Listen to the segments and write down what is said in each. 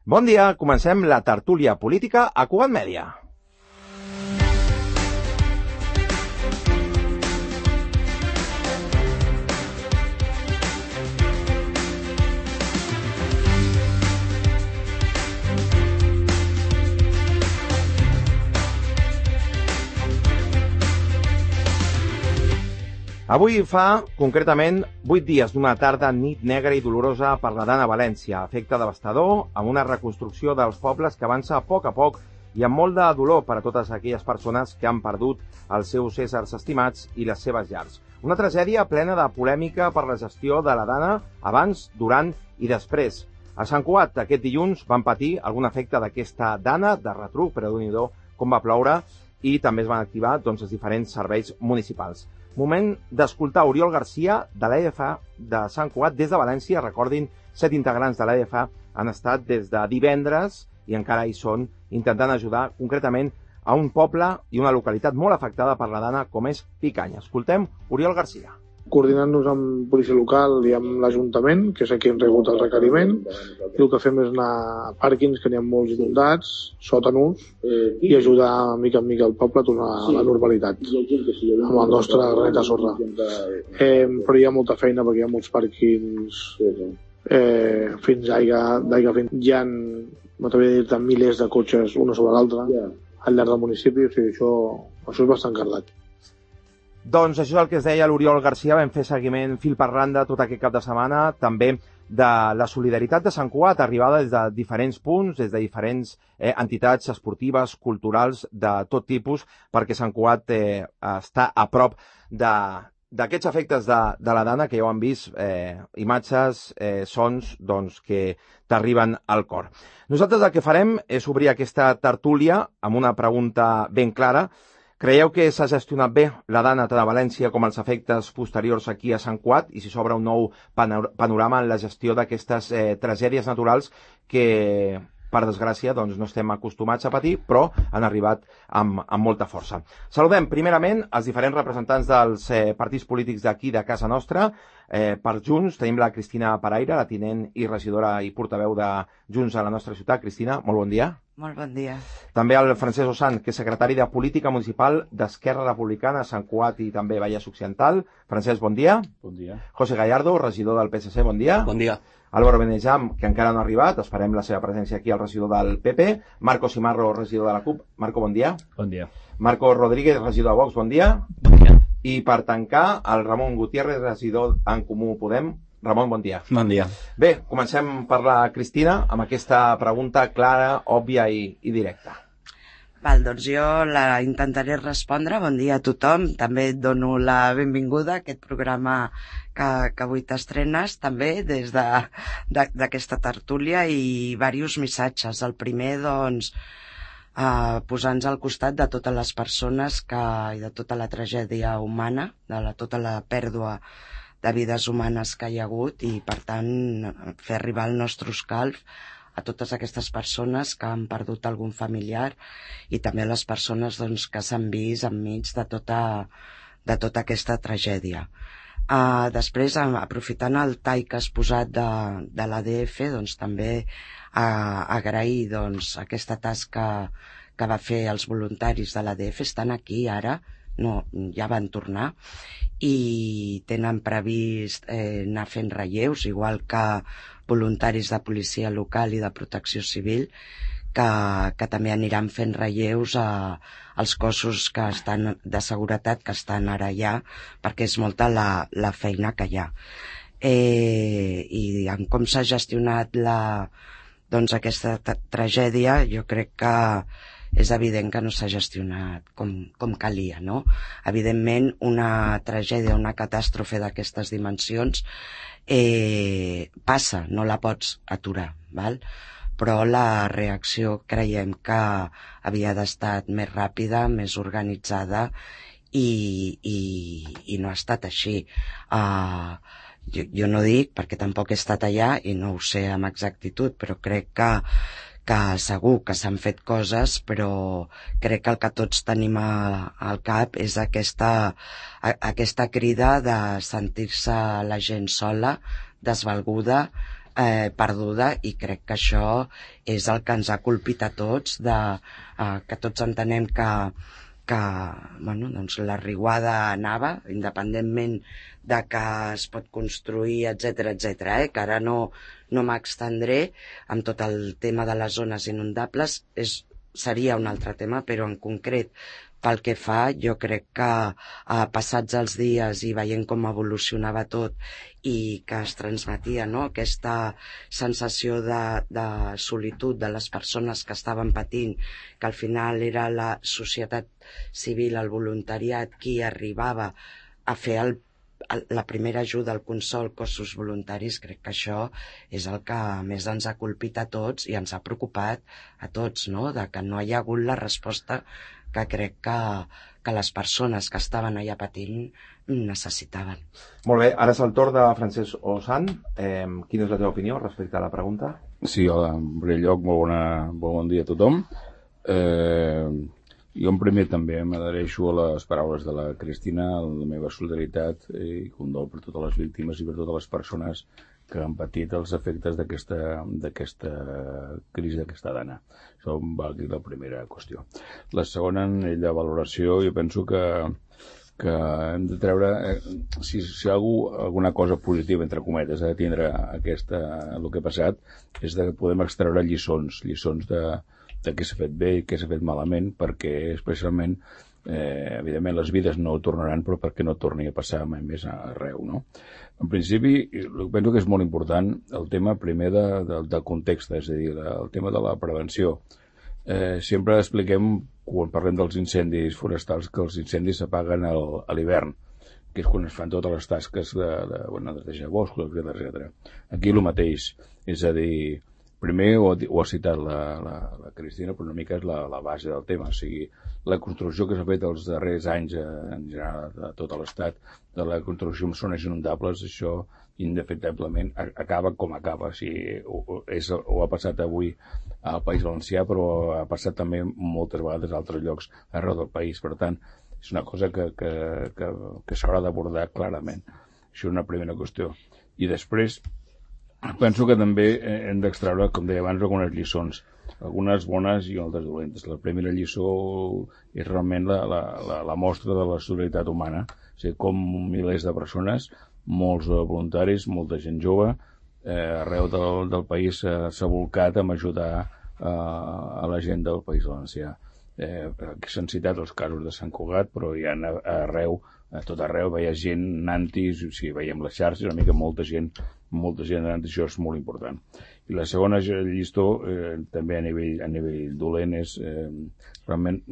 Bon dia, comencem la tertúlia política a Cugat Mèdia. Avui fa, concretament, 8 dies d'una tarda nit negra i dolorosa per la Dana a València, efecte devastador, amb una reconstrucció dels pobles que avança a poc i amb molt de dolor per a totes aquelles persones que han perdut els seus éssers estimats i les seves llars. Una tragèdia plena de polèmica per la gestió de la Dana abans, durant i després. A Sant Cugat, aquest dilluns, van patir algun efecte d'aquesta Dana de retruc, però Déu-n'hi-do com va ploure, i també es van activar els diferents serveis municipals. Moment d'escoltar Oriol Garcia de l'EDFA de Sant Cugat des de València. Recordin, 7 integrants de l'EDFA han estat des de divendres i encara hi són intentant ajudar concretament a un poble i una localitat molt afectada per la Dana com és Picanya. Escoltem Oriol Garcia. Coordinant-nos amb policia local i amb l'Ajuntament, que és aquí on rebut el requeriment, i el que fem és anar a pàrquings que n'hi ha molts inundats, sòtanos, i ajudar mica en mica el poble a tornar a la normalitat amb el nostre granet de sorra. Però hi ha molta feina perquè hi ha molts pàrquings fins d'aigua fins. Hi ha, m'atreviria a dir, milers de cotxes una sobre l'altra al llarg del municipi, o sigui, això és bastant cardat. Doncs això és el que es deia l'Oriol Garcia. Vam fer seguiment fil per randa tot aquest cap de setmana, també de la solidaritat de Sant Cugat, arribada des de diferents punts, des de diferents entitats esportives, culturals, de tot tipus, perquè Sant Cugat està a prop d'aquests efectes de la Dana, que ja ho han vist, imatges, sons, que t'arriben al cor. Nosaltres el que farem és obrir aquesta tertúlia amb una pregunta ben clara. Creieu que s'ha gestionat bé la Dana tant a València com els efectes posteriors aquí a Sant Cugat i si s'obre un nou panorama en la gestió d'aquestes tragèdies naturals que, per desgràcia, no estem acostumats a patir, però han arribat amb molta força. Saludem primerament els diferents representants dels partits polítics d'aquí, de casa nostra. Per Junts tenim la Cristina Paraire, la tinent i regidora i portaveu de Junts a la nostra ciutat. Cristina, molt bon dia. Molt bon dia. També el Francesc Ossant, que és secretari de Política Municipal d'Esquerra Republicana a Sant Cugat i també Vallès Occidental. Francesc, bon dia. Bon dia. José Gallardo, regidor del PSC, bon dia. Bon dia. Álvaro Benejam, que encara no ha arribat, esperem la seva presència aquí, el regidor del PP. Marco Simarro, regidor de la CUP. Marco, bon dia. Bon dia. Marco Rodríguez, regidor de Vox, bon dia. Bon dia. I per tancar, el Ramon Gutiérrez, regidor en Comú Podem. Ramon, bon dia. Bon dia. Bé, comencem per la Cristina amb aquesta pregunta clara, òbvia i directa. Val, doncs jo la intentaré respondre. Bon dia a tothom. També et dono la benvinguda a aquest programa que avui t'estrenes, també des d'aquesta tertúlia i diversos missatges. El primer, posar-nos al costat de totes les persones i de tota la tragèdia humana, de tota la pèrdua de vides humanes que hi ha hagut i, per tant, fer arribar el nostre escalf a totes aquestes persones que han perdut algun familiar i també a les persones que s'han vist enmig de tota aquesta tragèdia. Després, aprofitant el tall que has posat de l'ADF, també agrair aquesta tasca que va fer els voluntaris de l'ADF. Estan aquí ara, ja van tornar i tenen previst anar fent relleus, igual que voluntaris de policia local i de protecció civil, que també aniran fent relleus als cossos que estan de seguretat que estan ara allà, perquè és molta la feina que hi ha. I en com s'ha gestionat aquesta tragèdia, jo crec que és evident que no s'ha gestionat com calia, no? Evidentment, una tragèdia, una catàstrofe d'aquestes dimensions passa, no la pots aturar, val? Però la reacció creiem que havia d'estar més ràpida, més organitzada i no ha estat així. Jo no dic, perquè tampoc he estat allà i no ho sé amb exactitud, però crec que segur que s'han fet coses, però crec que el que tots tenim al cap és aquesta crida de sentir-se la gent sola, desvalguda, perduda, i crec que això és el que ens ha colpit a tots, que tots entenem que doncs la riuada anava, independentment de que es pot construir, etc, que ara no m'extendré amb tot el tema de les zones inundables, seria un altre tema, però en concret pel que fa, jo crec que passats els dies i veient com evolucionava tot i que es transmetia, no?, aquesta sensació de solitud de les persones que estaven patint, que al final era la societat civil, el voluntariat, qui arribava a fer la primera ajuda, el consol, cossos voluntaris, crec que això és el que més ens ha colpit a tots i ens ha preocupat a tots, no?, de que no hi ha hagut la resposta que crec que les persones que estaven allà patint necessitaven. Molt bé, ara és el torn de Francesc Osan. Quina és la teva opinió respecte a la pregunta? Sí, hola, en primer lloc, molt bon dia a tothom. Jo en primer també m'adhereixo a les paraules de la Cristina, la meva solidaritat i condol per totes les víctimes i per totes les persones que han patit els efectes d'aquesta crisi d'aquesta dana. Això va dir la primera qüestió. La segona, en la valoració, jo penso que hem de treure, si alguna cosa positiva, entre cometes, ha de tindre el que ha passat, és que podem extreure lliçons de què s'ha fet bé i què s'ha fet malament, perquè especialment, evidentment, les vides no ho tornaran, però perquè no torni a passar mai més arreu, no? En principi, penso que és molt important el tema primer del context, és a dir, el tema de la prevenció. Sempre expliquem, quan parlem dels incendis forestals, que els incendis s'apaguen a l'hivern, que és quan es fan totes les tasques de netejar boscos, etc. Aquí el mateix, és a dir, primer ho ha citat la Cristina, però una mica és la base del tema, o sigui, la construcció que s'ha fet els darrers anys en general a tot l'Estat, de la construcció en zones inundables, això indefectiblement acaba com acaba. O sigui, ho ha passat avui al País Valencià, però ha passat també moltes vegades a altres llocs arreu del país. Per tant, és una cosa que s'haurà d'abordar clarament. Això és una primera qüestió. I després, penso que també hem d'extreure, com deia abans, algunes lliçons, algunes bones i altres dolentes. La primera lliçó és realment la mostra de la solidaritat humana, o sigui, com milers de persones, molts voluntaris, molta gent jove, arreu del país s'ha volcat a ajudar a la gent del País Valencià. S'han citat els casos de Sant Cugat, però hi ha arreu, a tot arreu, veia gent anant-hi, si veiem les xarxes, una mica molta gent anant-hi, això és molt important. I la segona lliçó, també a nivell dolent, és realment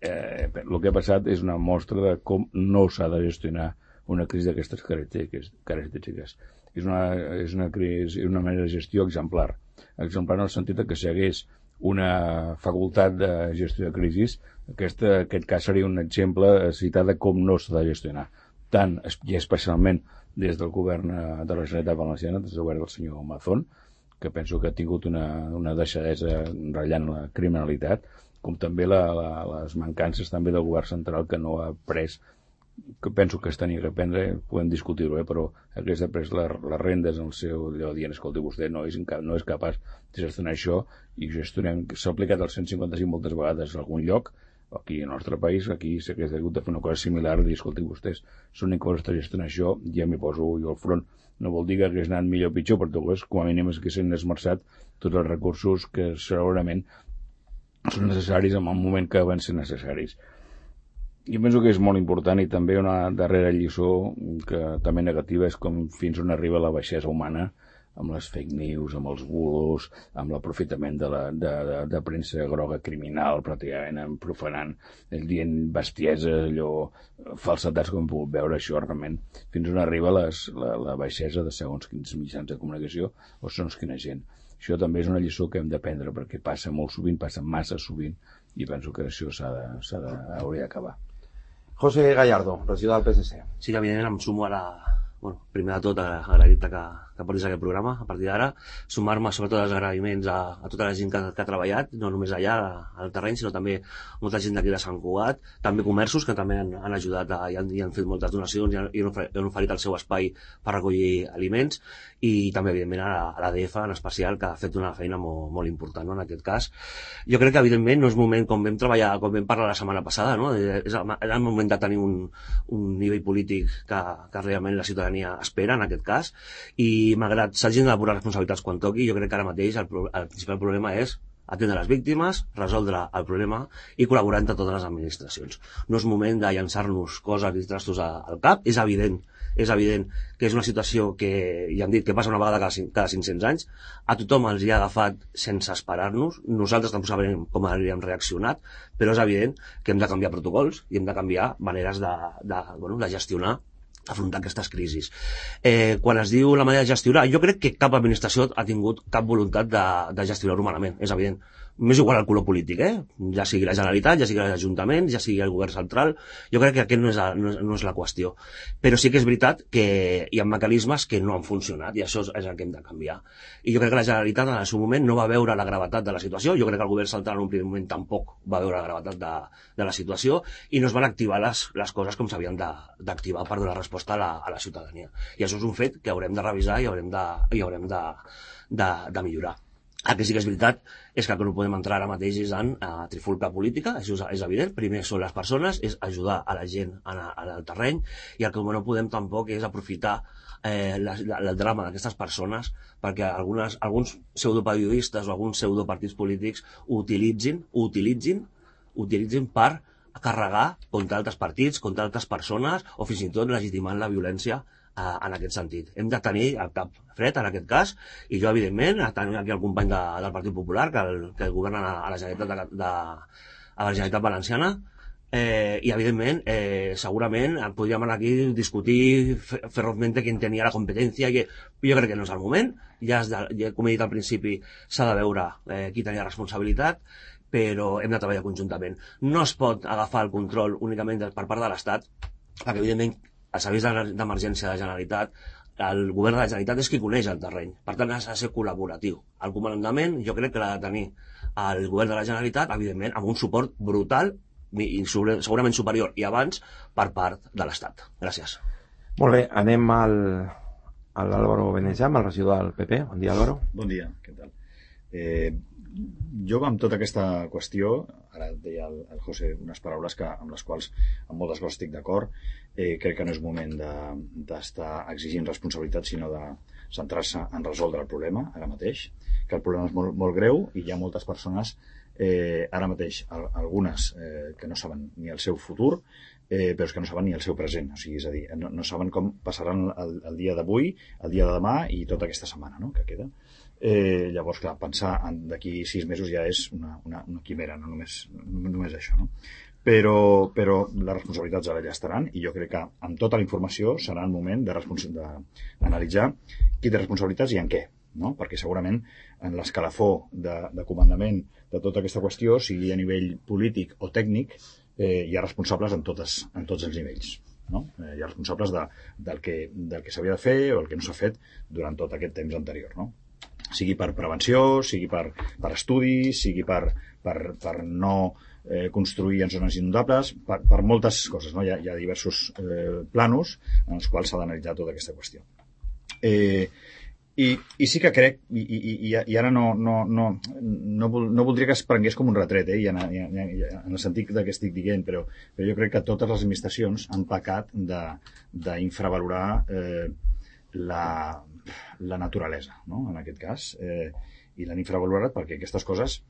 el que ha passat és una mostra de com no s'ha de gestionar una crisi d'aquestes característiques. És una manera de gestió exemplar en el sentit que si hi hagués una facultat de gestió de crisis, aquest cas seria un exemple citat de com no s'ha de gestionar, tant i especialment des del govern de la Generalitat Valenciana, des del govern del senyor Mazón, que penso que ha tingut una deixadesa ratllant la criminalitat, com també les mancances també del govern central, que no ha pres, que penso que es tenia que prendre, podem discutir-ho, però hagués de pres les rendes en el seu allò dient, escolti, vostè no és capaç de gestionar això, i s'ha aplicat el 155 moltes vegades a algun lloc, aquí al nostre país, aquí s'hagués hagut de fer una cosa similar, dir, escolti, vostès són incapaços de gestionar això, ja m'hi poso jo al front. No vol dir que hagués anat millor o pitjor, però com a mínim haguessin esmerçat tots els recursos que segurament són necessaris en el moment que van ser necessaris. Jo penso que és molt important, i també una darrera lliçó que també negativa és com fins on arriba la baixesa humana, amb les fake news, amb els bulos, amb l'aprofitament de premsa groga criminal, pràcticament profanant, dient bestieses, allò, falsetats, com hem pogut veure, això realment, fins on arriba la baixesa de segons quins mitjans de comunicació o segons quina gent. Això també és una lliçó que hem d'aprendre, perquè passa molt sovint, passa massa sovint, i penso que això hauria d'acabar. José Gallardo, regidor del PSC. Sí, que evidentment em sumo a primer de tot, a agrair-te que portis aquest programa a partir d'ara, sumar-me sobretot als agraïments a tota la gent que ha treballat, no només allà al terreny, sinó també molta gent d'aquí de Sant Cugat, també comerços que també han ajudat i han fet moltes donacions i han oferit el seu espai per recollir aliments, i també evidentment a l'ADF en especial, que ha fet una feina molt important, no, en aquest cas. Jo crec que evidentment no és moment, com vam parlar la setmana passada, no? Era el moment de tenir un nivell polític que realment la ciutadania espera en aquest cas, i malgrat s'hagin de depurar responsabilitats quan toqui, jo crec que ara mateix el principal problema és atendre les víctimes, resoldre el problema i col·laborar entre totes les administracions. No és moment de llançar-nos coses i trastos al cap. És evident que és una situació que, ja hem dit, que passa una vegada cada 500 anys. A tothom els hi ha agafat sense esperar-nos. Nosaltres tampoc sabem com hauríem reaccionat, però és evident que hem de canviar protocols i hem de canviar maneres de gestionar, afrontar aquestes crisis. Quan es diu la manera de gestionar, jo crec que cap administració ha tingut cap voluntat de gestionar-ho malament, és evident. M'és igual el color polític, ja sigui la Generalitat, ja sigui l'Ajuntament, ja sigui el govern central, jo crec que aquest no és la qüestió. Però sí que és veritat que hi ha mecanismes que no han funcionat i això és el que hem de canviar. I jo crec que la Generalitat en el seu moment no va veure la gravetat de la situació, jo crec que el govern central en un primer moment tampoc va veure la gravetat de la situació i no es van activar les coses com s'havien d'activar per donar resposta a la ciutadania. I això és un fet que haurem de revisar i haurem de millorar. El que sí que és veritat és que el que no podem entrar ara mateix és en trifulca política, això és evident. Primer són les persones, és ajudar a la gent en el terreny, i el que no podem tampoc és aprofitar el drama d'aquestes persones perquè alguns pseudoperiodistes o alguns pseudopartits polítics ho utilitzin per carregar contra altres partits, contra altres persones o fins i tot legitimant la violència en aquest sentit. Hem de tenir el cap fred en aquest cas, i jo evidentment tenim aquí el company del Partit Popular que governa a la Generalitat Valenciana, i evidentment segurament podríem anar aquí a discutir ferozmente qui tenia la competència, jo crec que no és el moment, com he dit al principi s'ha de veure qui tenia responsabilitat, però hem de treballar conjuntament. No es pot agafar el control únicament per part de l'Estat, perquè evidentment els serveis d'emergència de la Generalitat, el govern de la Generalitat és qui coneix el terreny, per tant ha de ser col·laboratiu. El comandament jo crec que l'ha de tenir el govern de la Generalitat, evidentment amb un suport brutal i segurament superior i abans per part de l'Estat. Gràcies. Molt bé, anem a l'Álvaro Benejam, el regidor del PP. Bon dia, Álvaro. Bon dia, què tal? Jo amb tota aquesta qüestió, ara deia el José unes paraules amb les quals amb moltes coses estic d'acord, crec que no és moment d'estar exigint responsabilitat, sinó de centrar-se en resoldre el problema ara mateix, que el problema és molt, molt greu i hi ha moltes persones ara mateix, algunes que no saben ni el seu futur, però és que no saben ni el seu present, o sigui, és a dir, no saben com passaran el dia d'avui, el dia de demà i tota aquesta setmana, no?, que queda. Llavors, clar, pensar d'aquí 6 mesos ja és una quimera, no només això, no? Però les responsabilitats ara ja estaran, i jo crec que amb tota la informació serà el moment d'analitzar qui té responsabilitats i en què, no? Perquè segurament en l'escalafó de comandament de tota aquesta qüestió, sigui a nivell polític o tècnic, hi ha responsables en tots els nivells, no? Hi ha responsables del que s'havia de fer o el que no s'ha fet durant tot aquest temps anterior, no? Sigui per prevenció, sigui per estudis, sigui per no construir en zones inundables, per moltes coses, no? Hi ha diversos planos en els quals s'ha d'analitzar tota aquesta qüestió. I sí que crec, i ara no voldria que es prengués com un retret, en el sentit que estic dient, però jo crec que totes les administracions han pecat d'infravalorar la naturalesa, no?, en aquest cas, i l'han infravalorat perquè aquestes coses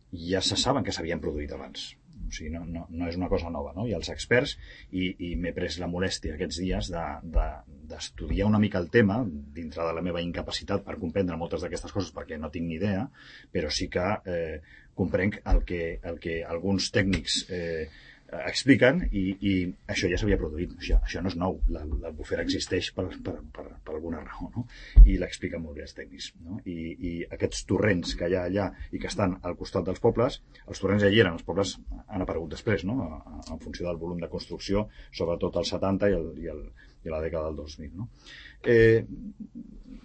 ja se saben que s'havien produït abans, o sigui, no és una cosa nova, no? I els experts, i m'he pres la molèstia aquests dies d'estudiar una mica el tema dintre de la meva incapacitat per comprendre moltes d'aquestes coses, perquè no tinc ni idea, però sí que comprenc el que alguns tècnics expliquen i això ja s'havia produït, això no és nou, l'albufera existeix per alguna raó, no? I l'expliquen molt bé els tècnics, no? I aquests torrents que hi ha allà i que estan al costat dels pobles, els torrents ja hi eren, els pobles han aparegut després, no? En funció del volum de construcció, sobretot als 70 i la dècada del 2000, no?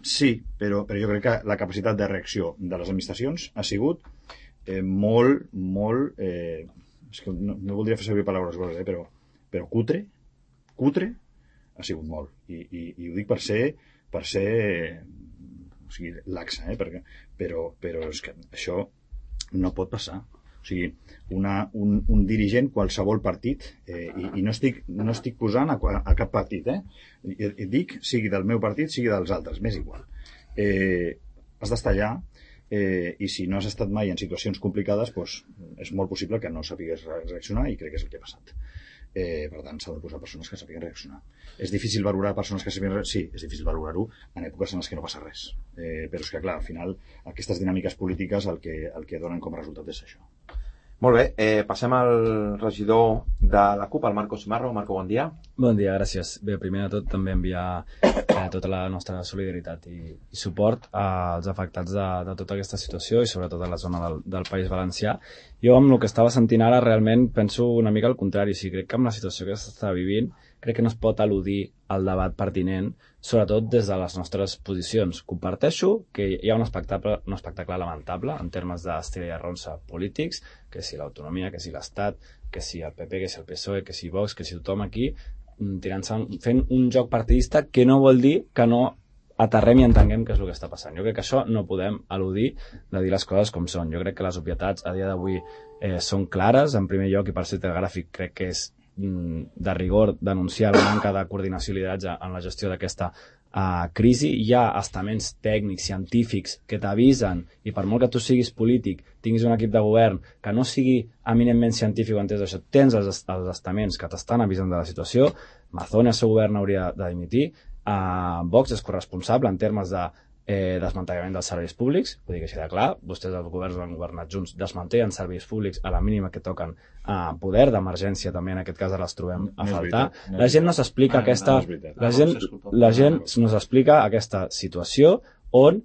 Sí, però jo crec que la capacitat de reacció de les administracions ha sigut molt és que no voldria fer servir paraules grosses, però cutre ha sigut molt. I ho dic per ser o sigui, laxa, però és que això no pot passar. O sigui, un dirigent, qualsevol partit, i no estic posant a cap partit, dic, sigui del meu partit, sigui dels altres, m'és igual. Has d'estar allà, i si no has estat mai en situacions complicades, doncs és molt possible que no sàpigues reaccionar, i crec que és el que ha passat. Per tant, s'ha de posar persones que sàpiguen reaccionar. És difícil valorar persones que sàpiguen reaccionar? Sí, és difícil valorar-ho en èpoques en les que no passa res. Però és que, clar, al final, aquestes dinàmiques polítiques el que donen com a resultat és això. Molt bé, passem al regidor de la CUP, el Marco Simarro. Marco, bon dia. Bon dia, gràcies. Bé, primer de tot també enviar tota la nostra solidaritat i suport als afectats de tota aquesta situació i sobretot a la zona del País Valencià. Jo amb el que estava sentint ara realment penso una mica al contrari. Sí, crec que amb la situació que s'està vivint crec que no es pot al·ludir al debat pertinent, sobretot des de les nostres posicions. Comparteixo que hi ha un espectacle lamentable en termes d'estil i arronsa polítics, que si l'autonomia, que si l'Estat, que si el PP, que si el PSOE, que si Vox, que si tothom aquí fent un joc partidista que no vol dir que no aterrem i entenguem què és el que està passant. Jo crec que això no podem al·ludir de dir les coses com són. Jo crec que les obvietats a dia d'avui són clares. En primer lloc, i per ser telegràfic, crec que és de rigor denunciar la manca de coordinació i lideratge en la gestió d'aquesta crisi. Hi ha estaments tècnics, científics que t'avisen, i per molt que tu siguis polític, tinguis un equip de govern que no sigui eminentment científic o entès d'això, tens els estaments que t'estan avisant de la situació. Mazón i el seu govern hauria de dimitir. Vox és corresponsable en termes de desmantellament dels serveis públics, vull dir que així de clar, vostès els governs han governat junts, desmantellen serveis públics a la mínima que toquen poder d'emergència, també en aquest cas les trobem a faltar. La gent no s'explica la gent no s'explica aquesta situació on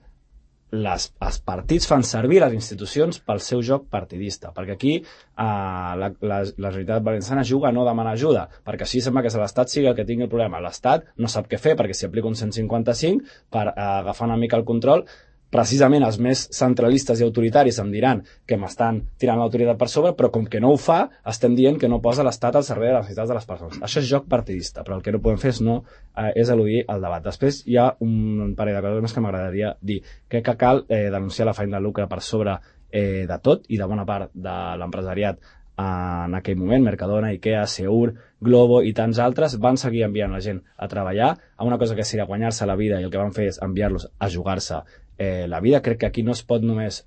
els partits fan servir les institucions pel seu joc partidista, perquè aquí la Generalitat Valenciana juga a no demanar ajuda, perquè així sembla que l'Estat sigui el que tingui el problema. L'Estat no sap què fer, perquè si aplica un 155 per agafar una mica el control, precisament els més centralistes i autoritaris em diran que m'estan tirant l'autoritat per sobre, però com que no ho fa, estem dient que no posa l'Estat al servei de les necessitats de les persones. Això és joc partidista, però el que no podem fer és eludir el debat. Després hi ha un parell de coses més que m'agradaria dir. Crec que cal denunciar l'afany de lucre per sobre de tot i de bona part de l'empresariat en aquell moment. Mercadona, Ikea, Seur, Globo i tants altres van seguir enviant la gent a treballar a una cosa que seria guanyar-se la vida, i el que van fer és enviar-los a jugar-se la vida. Crec que aquí no es pot només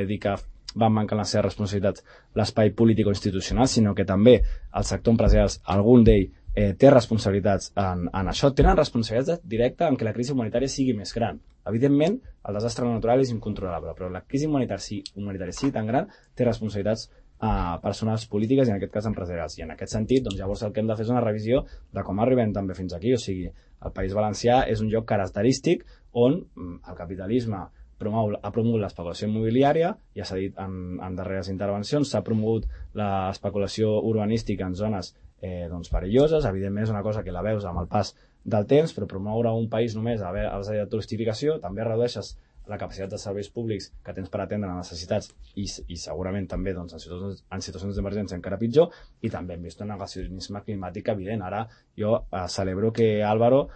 dir que van mancar les seves responsabilitats l'espai polític o institucional, sinó que també el sector empresarial, algun d'ell té responsabilitats en això. Tenen responsabilitats directes en que la crisi humanitària sigui més gran. Evidentment, el desastre natural és incontrolable, però la crisi humanitària sigui tan gran, té responsabilitats personals polítiques i en aquest cas empresarials. I en aquest sentit, doncs, llavors el que hem de fer és una revisió de com arribem també fins aquí. O sigui, el País Valencià és un lloc característic on el capitalisme ha promogut l'especulació immobiliària, ja s'ha dit en darreres intervencions, s'ha promogut l'especulació urbanística en zones perilloses. Evidentment és una cosa que la veus amb el pas del temps, però promoure un país només a base de turistificació també redueixes la capacitat de serveis públics que tens per atendre necessitats i segurament també en situacions d'emergència encara pitjor, i també hem vist un negacionisme climàtic evident. Ara jo celebro que Álvaro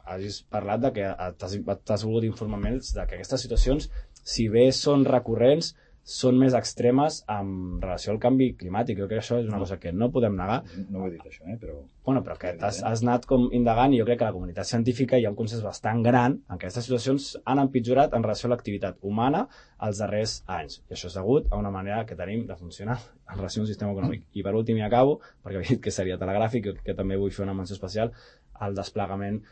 hagis parlat de que t'has volgut informar més de que aquestes situacions, si bé són recurrents, són més extremes en relació al canvi climàtic. Jo crec que això és una cosa que no podem negar. No ho he dit això, però... Bueno, però que has anat com indagant, i jo crec que a la comunitat científica hi ha un consens bastant gran en que aquestes situacions han empitjorat en relació a l'activitat humana els darrers anys. I això és degut a una manera que tenim de funcionar en relació a un sistema econòmic. I per últim, i acabo, perquè he dit que seria telegràfic, que també vull fer una menció especial al desplegament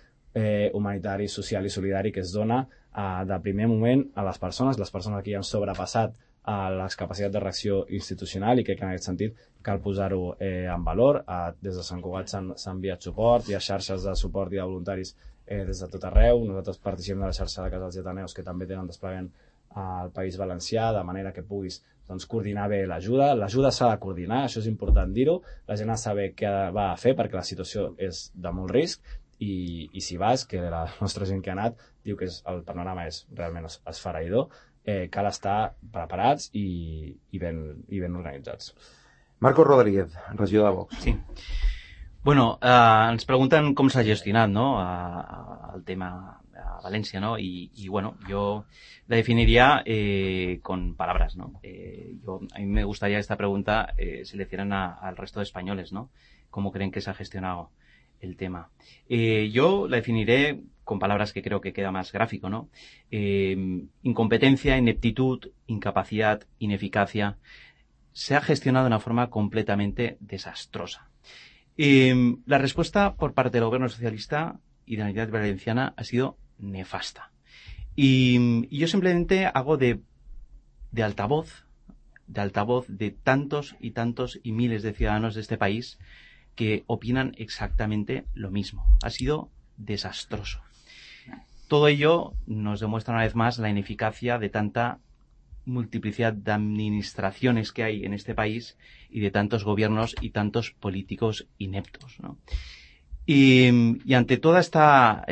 humanitari, social i solidari que es dona de primer moment a les persones aquí han sobrepassat les capacitats de reacció institucional i crec que en aquest sentit cal posar-ho en valor. Des de Sant Cugat s'ha enviat suport, hi ha xarxes de suport i de voluntaris des de tot arreu. Nosaltres participem de la xarxa de casals i ateneus que també tenen desplegament al País Valencià, de manera que puguis coordinar bé l'ajuda. L'ajuda s'ha de coordinar, això és important dir-ho. La gent ha de saber què va a fer perquè la situació és de molt risc i si vas, que la nostra gent que ha anat diu que el panorama és realment esfereïdor. Cal estar preparats i ben organitzats. Marco Rodríguez, regidor de Vox. Sí. Bueno, ens pregunten com s'ha gestionat, ¿no?, el tema a Valencia, ¿no? Y bueno, yo la definiría con palabras, ¿no? A mí me gustaría esta pregunta se le hicieran al resto de españoles, ¿no? ¿Cómo creen que se ha gestionado el tema? Yo la definiré con palabras que creo que queda más gráfico, ¿no? Incompetencia, ineptitud, incapacidad, ineficacia. Se ha gestionado de una forma completamente desastrosa. La respuesta por parte del gobierno socialista y de la Unidad Valenciana ha sido nefasta. Y yo simplemente hago de altavoz de tantos y tantos y miles de ciudadanos de este país que opinan exactamente lo mismo. Ha sido desastroso. Todo ello nos demuestra una vez más la ineficacia de tanta multiplicidad de administraciones que hay en este país y de tantos gobiernos y tantos políticos ineptos, ¿no? Y ante toda esta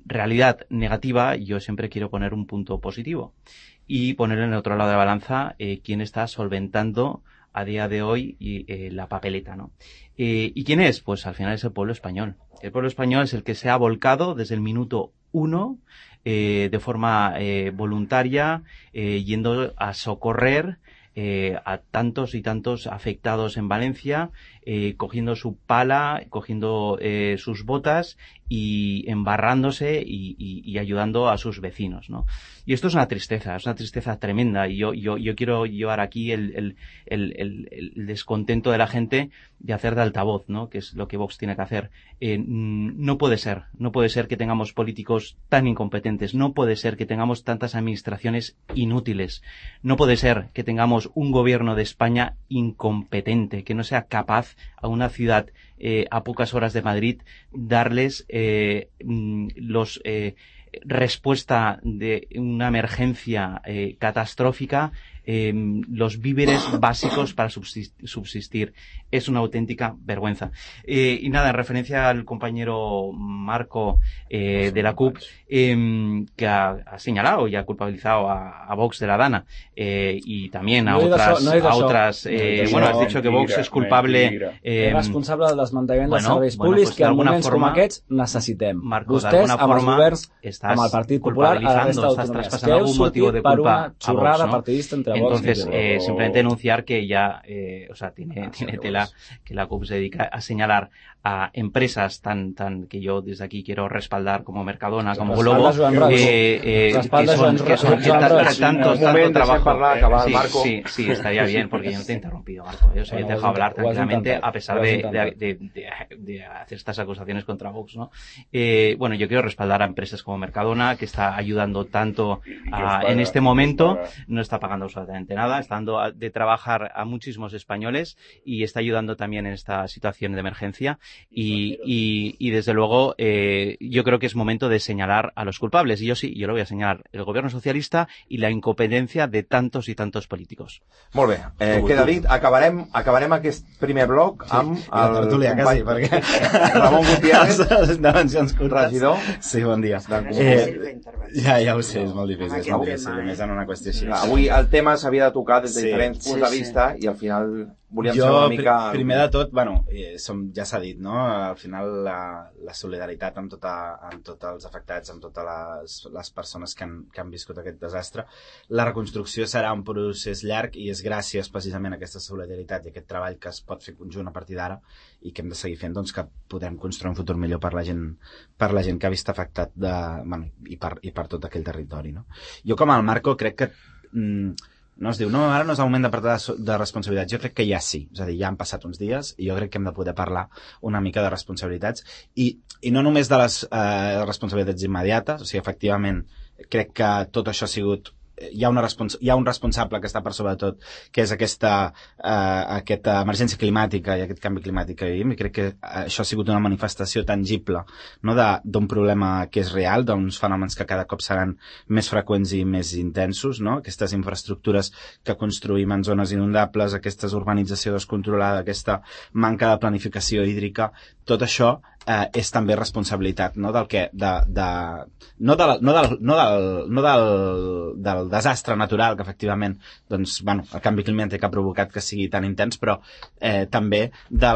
realidad negativa, yo siempre quiero poner un punto positivo y poner en el otro lado de la balanza quién está solventando a día de hoy la papeleta, ¿no? ¿Y quién es? Pues al final es el pueblo español. El pueblo español es el que se ha volcado desde el minuto 1 de forma voluntaria, yendo a socorrer a tantos y tantos afectados en Valencia, cogiendo su pala, cogiendo sus botas y embarrándose y ayudando a sus vecinos, ¿no? Y esto es una tristeza tremenda. Y yo quiero llevar aquí el descontento de la gente de hacer de altavoz, ¿no?, que es lo que Vox tiene que hacer. No puede ser que tengamos políticos tan incompetentes, no puede ser que tengamos tantas administraciones inútiles, no puede ser que tengamos un gobierno de España incompetente, que no sea capaz a una ciudad a pocas horas de Madrid darles respuesta de una emergencia catastrófica, los víveres básicos para subsistir. Es una auténtica vergüenza. Y nada, en referencia al compañero Marco de la CUP, que ha señalado y ha culpabilizado a Vox de la Dana, y también a otras bueno, has dicho que Vox és culpable... és responsable del desmantellament dels serveis públics que en moments com aquests necessitem. Marco, vostès, amb els governs, amb el Partit Popular, a la resta d'autonomies, que heu sortit per una xorrada partidista entre Vox. Entonces, simplemente denunciar que ya, tiene tela que la CUP se dedica a señalar a empresas tan que yo desde aquí quiero respaldar, como Mercadona, como Globo, que tanto trabajo. Sí, estaría bien, porque yo no te he interrumpido, Marco. Yo te he dejado hablar tranquilamente, a pesar de hacer estas acusaciones contra Vox, ¿no? Bueno, yo quiero respaldar a empresas como Mercadona, que está ayudando tanto en este momento, no está pagando absolutamente nada, está dando de trabajar a muchísimos españoles y está ayudando también en esta situación de emergencia. Y desde luego yo creo que es momento de señalar a los culpables, y yo lo voy a señalar, el gobierno socialista y la incompetencia de tantos y tantos políticos. Molt bé, queda dit, acabarem aquest primer bloc amb el tertúlia, quasi, perquè Ramon Gutiérrez, regidor. Sí, bon dia. Ja ho sé, és molt difícil, més en una qüestió així. Avui el tema s'havia de tocar des de diferents punts de vista i al final volíem ser una mica... Primer de tot, ja s'ha dit, no? Al final la solidaritat amb tots els afectats, amb totes les persones que han viscut aquest desastre. La reconstrucció serà un procés llarg i és gràcies precisament a aquesta solidaritat i aquest treball que es pot fer conjunt a partir d'ara i que hem de seguir fent, doncs, que podem construir un futur millor per la gent que ha vist afectat i per tot aquell territori, no? Jo, com el Marco, crec que no es diu, no, ara no és el moment de parlar de responsabilitats. Jo crec que ja sí, és a dir, ja han passat uns dies i jo crec que hem de poder parlar una mica de responsabilitats i no només de les responsabilitats immediates, o sigui, efectivament crec que tot això ha sigut hi ha un responsable que està per sobre de tot, que és aquesta emergència climàtica i aquest canvi climàtic que vivim, i crec que això ha sigut una manifestació tangible, no, d'un problema que és real, d'uns fenòmens que cada cop seran més freqüents i més intensos, no? Aquestes infraestructures que construïm en zones inundables, aquesta urbanització descontrolada, aquesta manca de planificació hídrica, tot això és també responsabilitat, no, del desastre natural que efectivament doncs, bueno, el canvi climàtic ha provocat que sigui tan intens, però també de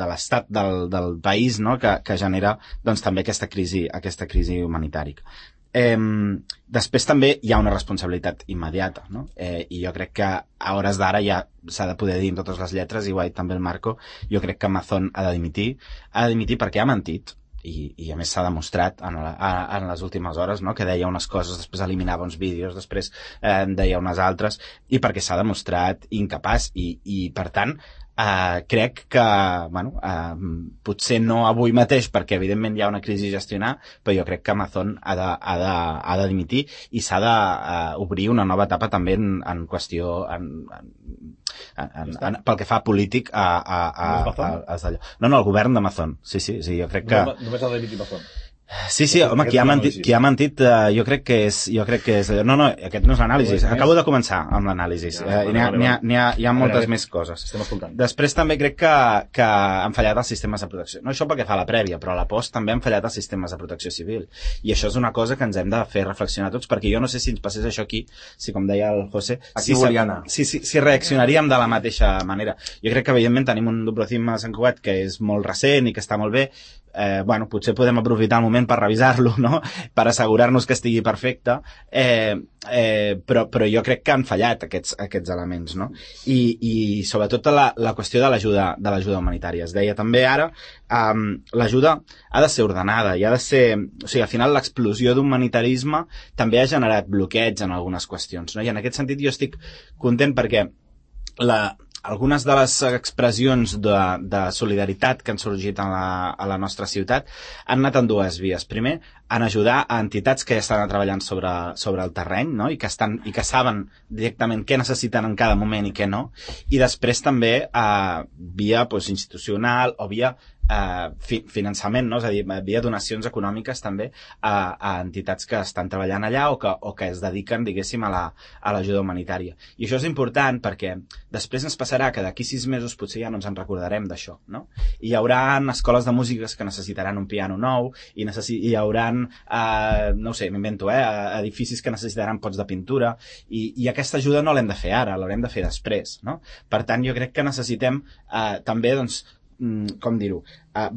l'estat del país, no, que genera doncs, també aquesta crisi humanitària. Després també hi ha una responsabilitat immediata, no? I jo crec que a hores d'ara ja s'ha de poder dir amb totes les lletres, i ho ha dit també el Marco, jo crec que Mazón ha de dimitir perquè ha mentit, i a més s'ha demostrat en les últimes hores, no? Que deia unes coses, després eliminava uns vídeos, després deia unes altres, i perquè s'ha demostrat incapaç, i per tant crec que bueno, potser no avui mateix, perquè evidentment hi ha una crisi a gestionar, però jo crec que Mazón ha de dimitir, i s'ha d'obrir una nova etapa també en qüestió pel que fa polític el govern de Mazón. Sí, jo crec que només ha de dimitir Mazón. Sí, home, qui ha mentit jo crec que és no, aquest no és l'anàlisi, acabo de començar amb l'anàlisi, hi ha moltes més coses. Després també crec que han fallat els sistemes de protecció, no això perquè fa la prèvia, però a la post també han fallat els sistemes de protecció civil, i això és una cosa que ens hem de fer reflexionar tots, perquè jo no sé si ens passés això aquí, si com deia el José, si reaccionaríem de la mateixa manera. Jo crec que evidentment tenim un Dobrotzin a Sant Cugat que és molt recent i que està molt bé, bueno, potser podem aprofitar el moment per revisar-lo, no? Per assegurar-nos que estigui perfecte, però jo crec que han fallat aquests elements, no? I sobretot la qüestió de l'ajuda humanitària. Es deia també ara, l'ajuda ha de ser ordenada i ha de ser... O sigui, al final l'explosió d'humanitarisme també ha generat bloqueig en algunes qüestions, no? I en aquest sentit jo estic content perquè algunes de les expressions de solidaritat que han sorgit a la nostra ciutat han anat en dues vies. Primer, en ajudar a entitats que ja estan treballant sobre el terreny, no? I que saben directament què necessiten en cada moment i què no. I després també via institucional o via finançament, no? És a dir, via donacions econòmiques també a entitats que estan treballant allà o que es dediquen, diguéssim, a l'ajuda humanitària. I això és important perquè després ens passarà que d'aquí 6 mesos potser ja no ens en recordarem d'això, no? I hi haurà escoles de músiques que necessitaran un piano nou, i hi haurà no ho sé, m'invento, edificis que necessitaran pots de pintura, i aquesta ajuda no l'hem de fer ara, l'haurem de fer després, no? Per tant, jo crec que necessitem també, doncs, com dir-ho,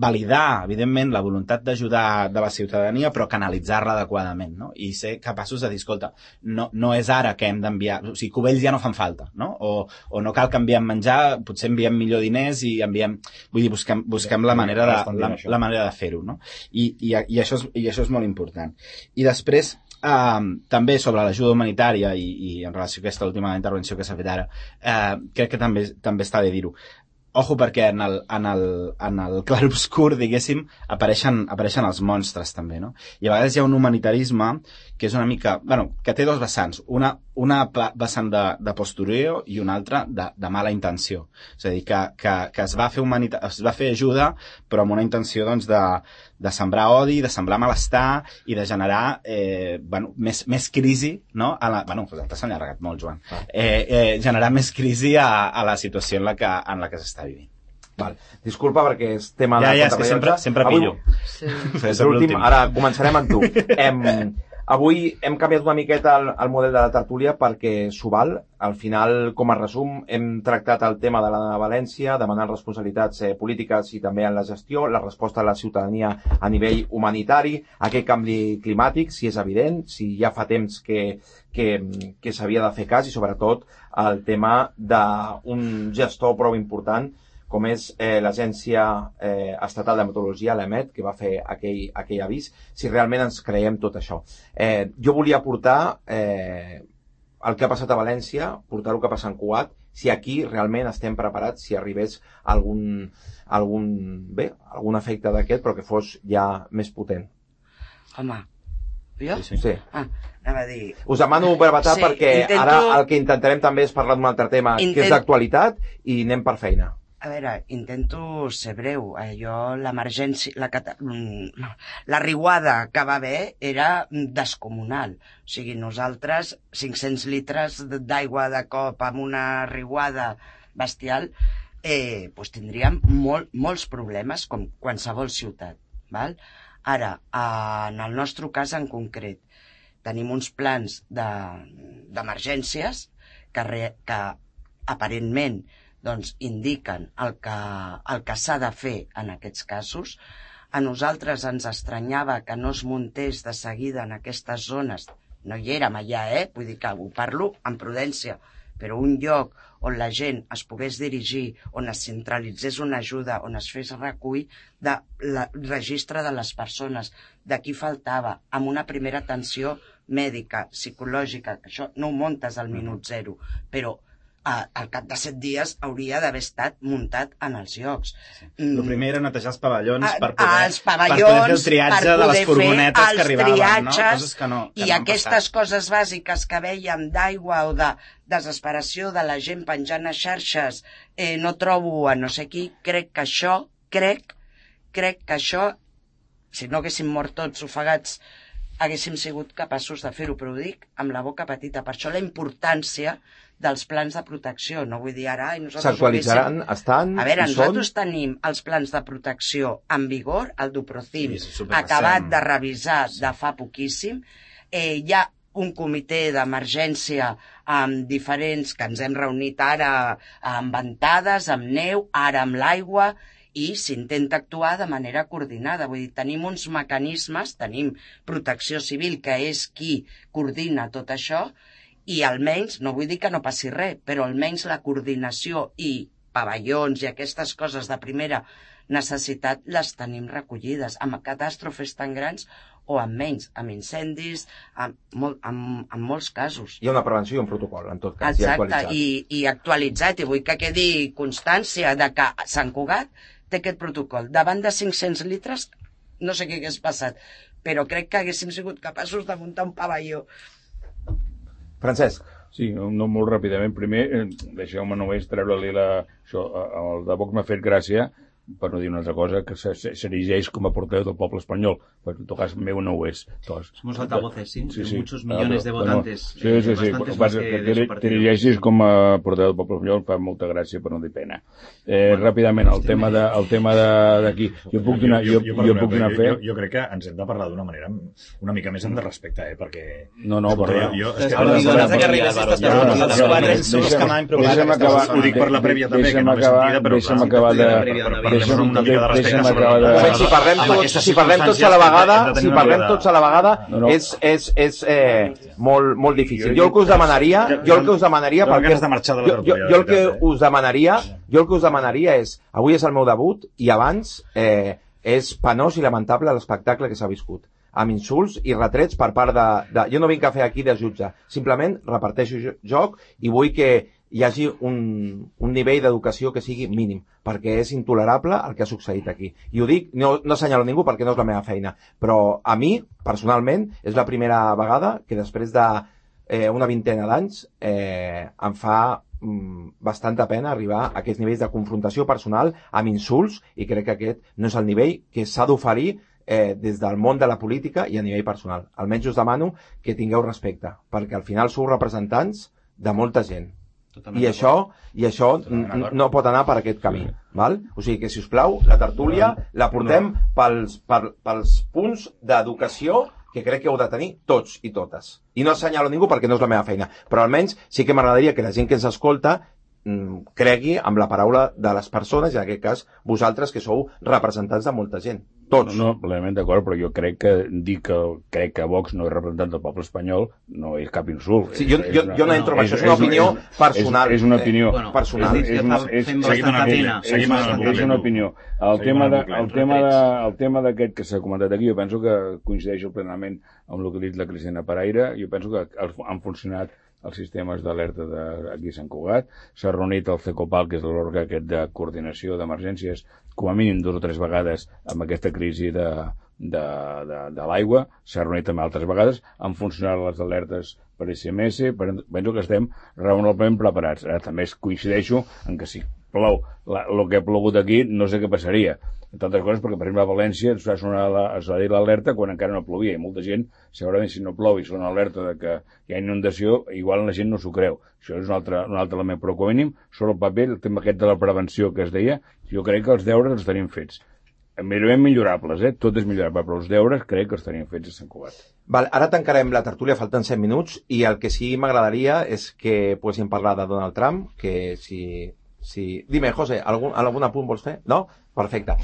validar, evidentment, la voluntat d'ajudar de la ciutadania, però canalitzar-la adequadament, no? I ser capaços de dir, escolta, no és ara que hem d'enviar, o sigui, cubells ja no fan falta, no? O no cal que enviem menjar, potser enviem millor diners i enviem, vull dir, busquem la manera de fer-ho, no? I això és molt important. I després, també sobre l'ajuda humanitària i en relació a aquesta última intervenció que s'ha fet ara, crec que també està bé dir-ho. Ojo, perquè en el clarobscur, diguéssim, apareixen els monstres també, no? I a vegades hi ha un humanitarisme que és una mica... Bueno, que té dos vessants. Una vessant de postureo i una altra de mala intenció. És a dir, que es va fer ajuda, però amb una intenció, doncs, de sembrar odi, de sembrar malestar i de generar més crisi, no? T'has allargat molt, Joan. Generar més crisi a la situació en la que s'està vivint. Vale. Disculpa perquè és tema de contrarellotge. Sempre pillo. Sí. Ara començarem amb tu. Avui hem canviat una miqueta el model de la tertúlia perquè s'ho val. Al final, com a resum, hem tractat el tema de la València, demanant responsabilitats polítiques i també en la gestió, la resposta de la ciutadania a nivell humanitari, aquest canvi climàtic, si és evident, si ja fa temps que s'havia de fer cas, i sobretot el tema d'un gestor prou important com és l'Agència Estatal de Meteorologia, l'EMET, que va fer aquell avís, si realment ens creiem tot això. Jo volia portar el que ha passat a València, portar el que ha passat en Cugat, si aquí realment estem preparats, si arribés algun efecte d'aquest, però que fos ja més potent. Home, Jo? Sí. Anava a dir... Us demano brevetat perquè ara el que intentarem també és parlar d'un altre tema que és d'actualitat i anem per feina. A veure, intento ser breu. Jo, l'emergència, la riuada que va haver era descomunal. O sigui, nosaltres, 500 litres d'aigua de cop amb una riuada bestial, doncs tindríem molts problemes, com qualsevol ciutat. Val? Ara, en el nostre cas en concret, tenim uns plans d'emergències que aparentment doncs indiquen el que s'ha de fer en aquests casos. A nosaltres ens estranyava que no es muntés de seguida en aquestes zones. No hi érem allà, vull dir que ho parlo amb prudència, però un lloc on la gent es pogués dirigir, on es centralitzés una ajuda, on es fes recull del registre de les persones, de qui faltava, amb una primera atenció mèdica, psicològica, que això no ho muntes al minut zero, però al cap de 7 dies hauria d'haver estat muntat en els llocs. El primer era netejar els pavellons per poder fer el triatge de les furgonetes que arribaven, no? Coses que no I aquestes coses bàsiques que vèiem d'aigua o de desesperació de la gent penjant a xarxes, no trobo a no sé qui, crec que això, si no haguéssim mort tots ofegats, haguéssim sigut capaços de fer-ho, però ho dic amb la boca petita. Per això la importància dels plans de protecció, no vull dir ara... S'actualitzaran, estan... A veure, nosaltres tenim els plans de protecció en vigor, el d'Uprocim, acabat de revisar de fa poquíssim. Hi ha un comitè d'emergència amb diferents, que ens hem reunit ara amb ventades, amb neu, ara amb l'aigua, i s'intenta actuar de manera coordinada. Vull dir, tenim uns mecanismes, tenim Protecció Civil, que és qui coordina tot això, i almenys, no vull dir que no passi res, però almenys la coordinació i pavellons i aquestes coses de primera necessitat les tenim recollides, amb catàstrofes tan grans o amb menys, amb incendis, en molts casos. Hi ha una prevenció i un protocol, en tot cas, actualitzat. I actualitzat, i vull que quedi constància de que Sant Cugat té aquest protocol. Davant de 500 litres, no sé què hagués passat, però crec que haguéssim sigut capaços de muntar un pavelló. Francesc. Sí, no molt ràpidament. Primer, deixeu-me només treure-li això. El de Vox m'ha fet gràcia, per no dir una altra cosa, que s'erigeix com a portaveu del poble espanyol. Però en tot cas, meu no ho és. Somos altavoces, sí, muchos millones de votantes. Sí. Que t'erigeixis com a portaveu del poble espanyol fa molta gràcia, per no dir pena. Ràpidament, el tema d'aquí. Jo puc donar fe... Jo crec que ens hem de parlar d'una manera una mica més de respecte, perquè... No, però... Ho dic per la prèvia també, que no m'he sentida, però... Deixa'm acabar de... Si parlem tots a la vegada, és molt difícil. Jo el que us demanaria, és, avui és el meu debut i abans és penós i lamentable l'espectacle que s'ha viscut, amb insults i retrets per part de... Jo no vinc a fer aquí de jutge, simplement reparteixo joc i vull que hi hagi un nivell d'educació que sigui mínim, perquè és intolerable el que ha succeït aquí. I ho dic, no assenyalo ningú perquè no és la meva feina, però a mi, personalment, és la primera vegada que després d'una vintena d'anys em fa bastanta pena arribar a aquests nivells de confrontació personal amb insults, i crec que aquest no és el nivell que s'ha d'oferir des del món de la política i a nivell personal. Almenys us demano que tingueu respecte, perquè al final sou representants de molta gent. I això no pot anar per aquest camí, val? O sigui que, si us plau, la tertúlia la portem pels punts d'educació que crec que heu de tenir tots i totes. I no assenyalo ningú perquè no és la meva feina, però almenys sí que m'agradaria que la gent que ens escolta cregui amb la paraula de les persones, i en aquest cas vosaltres, que sou representants de molta gent. Tots. No, plenament d'acord, però jo crec que dir que crec que Vox no és representant del poble espanyol no és cap insult. Sí, jo no entro en això, és una opinió personal. És una opinió personal. És una opinió. El tema d'aquest que s'ha comentat aquí, jo penso que coincideixo plenament amb el que ha dit la Cristina Paraire. Jo penso que han funcionat els sistemes d'alerta d'aquí a Sant Cugat. S'ha reunit el CECOPAL, que és l'òrgan aquest de coordinació d'emergències, com a mínim 2 o 3 vegades amb aquesta crisi de de l'aigua, s'ha reunit també altres vegades, han funcionat les alertes per SMS, penso que estem raonablement preparats. Ara també coincideixo en que si plou el que ha plogut aquí, no sé què passaria. Entre altres coses perquè, per exemple, a València es va dir l'alerta quan encara no plovia, i molta gent, segurament si no plou i sona alerta de que hi ha inundació, igual la gent no s'ho creu. Això és un altre element, però com a mínim, sobre el paper, el tema aquest de la prevenció que es deia, jo crec que els deures els tenim fets. Evidentment millorables, tot és millorable, però els deures crec que els tenim fets a Sant Cugat. Val, ara tancarem la tertúlia, falten 7 minuts, i el que sí m'agradaria és que poguéssim parlar de Donald Trump, que si... Dime, José, algun apunt vols fer? No? Perfecte.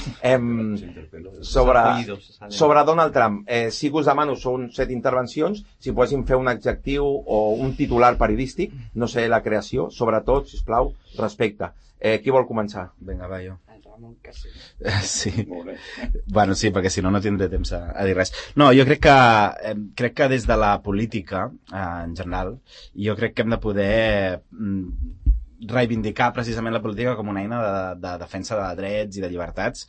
Sobre Donald Trump, sí que us demano, són 7 intervencions, si poguéssim fer un adjectiu o un titular periodístic, no sé, la creació, sobretot, sisplau, respecte. Qui vol començar? Vinga, va, jo. Sí. Bueno, sí, perquè si no tindré temps a dir res. No, jo crec que des de la política, en general, jo crec que hem de poder reivindicar precisament la política com una eina de defensa de drets i de llibertats,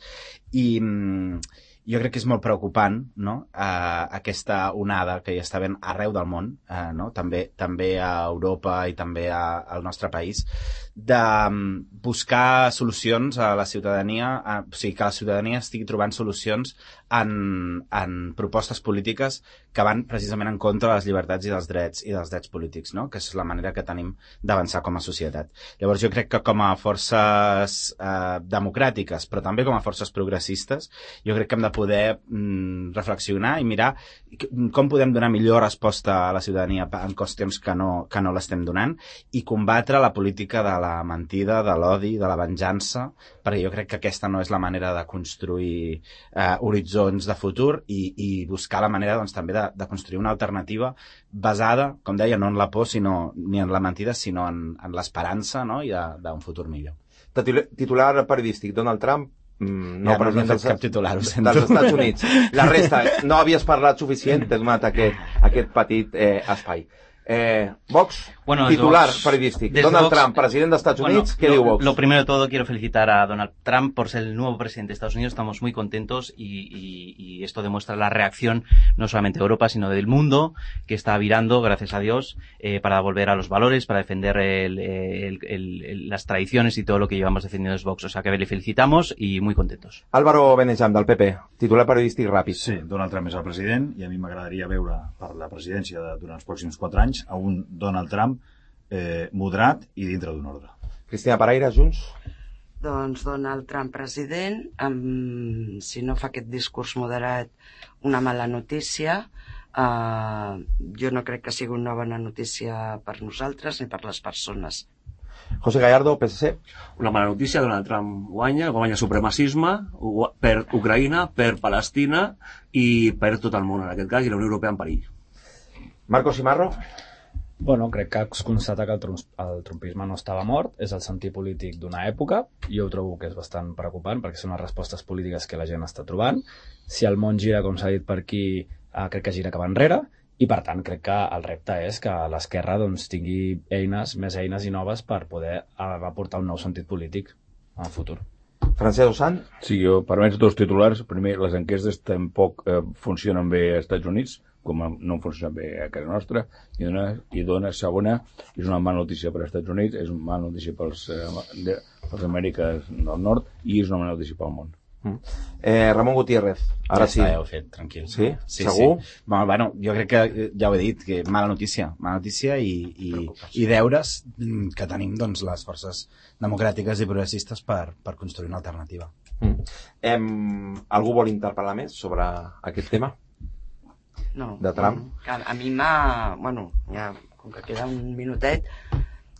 i jo crec que és molt preocupant, no? Aquesta onada que hi està havent arreu del món, no? També a Europa i també al nostre país, de buscar solucions a la ciutadania, o sigui, que la ciutadania estigui trobant solucions en propostes polítiques que van precisament en contra de les llibertats i dels drets polítics, no? Que és la manera que tenim d'avançar com a societat. Llavors jo crec que com a forces democràtiques, però també com a forces progressistes, jo crec que hem de poder reflexionar i mirar com podem donar millor resposta a la ciutadania en qüestions que no l'estem donant, i combatre la política de la mentida, de l'odi, de la venjança, perquè jo crec que aquesta no és la manera de construir horitzons de futur, i buscar la manera doncs, també de construir una alternativa basada, com deia, no en la por ni en la mentida, sinó en l'esperança, no? I d'un futur millor. Titular periodístic, Donald Trump, no fet cap titular, ho sento. Dels Estats Units. La resta, no havies parlat suficient, t'he donat aquest petit espai. Vox, titular periodístic. Donald Trump, presidente de Estados Unidos, ¿qué digo Vox? Lo primero de todo, quiero felicitar a Donald Trump por ser el nuevo presidente de Estados Unidos. Estamos muy contentos y esto demuestra la reacción no solamente de Europa, sino del mundo, que está virando, gracias a Dios, para volver a los valores, para defender las tradiciones y todo lo que llevamos defendiendo los Vox. O sea que le felicitamos y muy contentos. Álvaro Benejam, del PP, titular periodístic ràpid. Sí, Donald Trump és el president i a mi m'agradaria veure per la presidència durant els pròxims 4 anys a un Donald Trump moderat i dintre d'un ordre. Cristina Paraire, Junts. Doncs Donald Trump president, si no fa aquest discurs moderat, una mala notícia. Jo no crec que sigui una bona notícia per nosaltres ni per les persones. José Gallardo, PSC. Una mala notícia, Donald Trump guanya supremacisme per Ucraïna, per Palestina i per tot el món, en aquest cas, i la Unió Europea en perill. Marcos Simarro. Bueno, crec que es constata que el trumpisme no estava mort, és el sentit polític d'una època, i jo ho trobo que és bastant preocupant perquè són les respostes polítiques que la gent està trobant. Si el món gira, com s'ha dit per aquí, crec que gira cap enrere, i per tant crec que el repte és que l'esquerra doncs, tingui més eines i noves per poder aportar un nou sentit polític en el futur. Francesc Osant. Sí, jo permets 2 titulars. Primer, les enquestes tampoc funcionen bé als Estats Units, com no funcionen bé a casa nostra, i dona segona, és una mala notícia per als Estats Units, és una mala notícia pels Amèriques del Nord i és una mala notícia pel món. Ramon Gutiérrez, ara sí. Ja ho he fet, tranquil. Sí? Segur? Sí. Bueno, jo crec que ja ho he dit, que mala notícia i deures que tenim doncs, les forces democràtiques i progressistes per construir una alternativa. Algú vol interpel·lar més sobre aquest tema? No. De Trump? A mi bueno, ja, com que queda un minutet,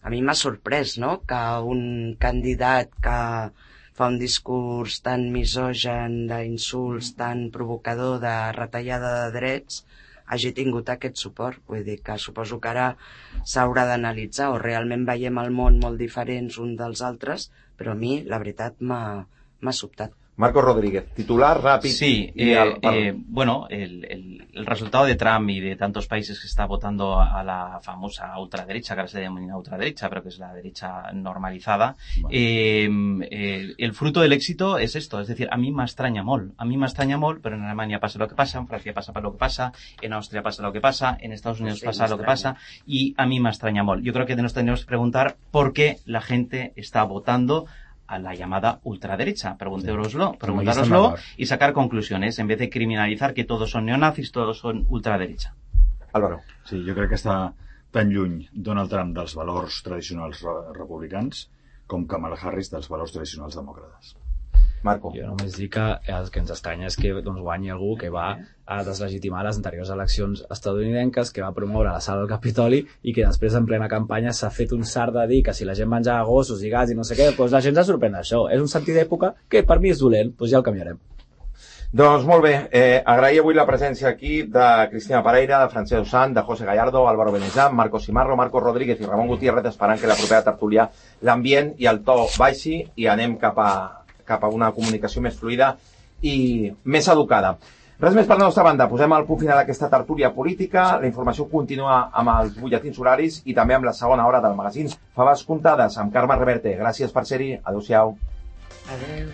a mi m'ha sorprès, no?, que un candidat que fa un discurs tan misogen, d'insults, tan provocador, de retallada de drets, hagi tingut aquest suport. Vull dir que suposo que ara s'haurà d'analitzar, o realment veiem el món molt diferents un dels altres, però a mi, la veritat, m'ha sobtat. Marco Rodríguez, titular, rápido. Sí, bueno, el resultado de Trump y de tantos países que está votando a la famosa ultraderecha, que ahora se denomina ultraderecha, pero que es la derecha normalizada, el fruto del éxito es esto, es decir, a mí m'estranya molt, pero en Alemania pasa lo que pasa, en Francia pasa lo que pasa, en Austria pasa lo que pasa, en Estados Unidos pasa lo que pasa, y a mí m'estranya molt. Yo creo que nos tenemos que preguntar por qué la gente está votando a la llamada ultraderecha. Preguntároslo y sacar conclusiones en vez de criminalizar que todos son neonazis, todos son ultraderecha. Álvaro. Sí, jo crec que està tan lluny Donald Trump dels valors tradicionals republicans com Kamala Harris dels valors tradicionals demòcrates. Marco. Jo només dic que el que ens estranya és que guanyi algú que va a deslegitimar les anteriors eleccions estadounidenques, que va promoure la sala del Capitoli i que després en plena campanya s'ha fet un sard de dir que si la gent menjava gossos i gats i no sé què, doncs la gent se sorprèn d'això. És un sentit d'època que per mi és dolent, doncs ja el canviarem. Doncs molt bé, agrair avui la presència aquí de Cristina Pereira, de Francesc Sant, de José Gallardo, Álvaro Benezán, Marco Simarro, Marco Rodríguez i Ramon Gutiérrez, esperant que la propera tertúlia l'ambient i el to baixi i anem cap a una comunicació més fluida i més educada. Res més per la nostra banda, posem el punt final d'aquesta tertúlia política, la informació continua amb els butlletins horaris i també amb la segona hora del magazín Faves Comptades amb Carme Reverte. Gràcies per ser-hi, adeu-siau. Adeu.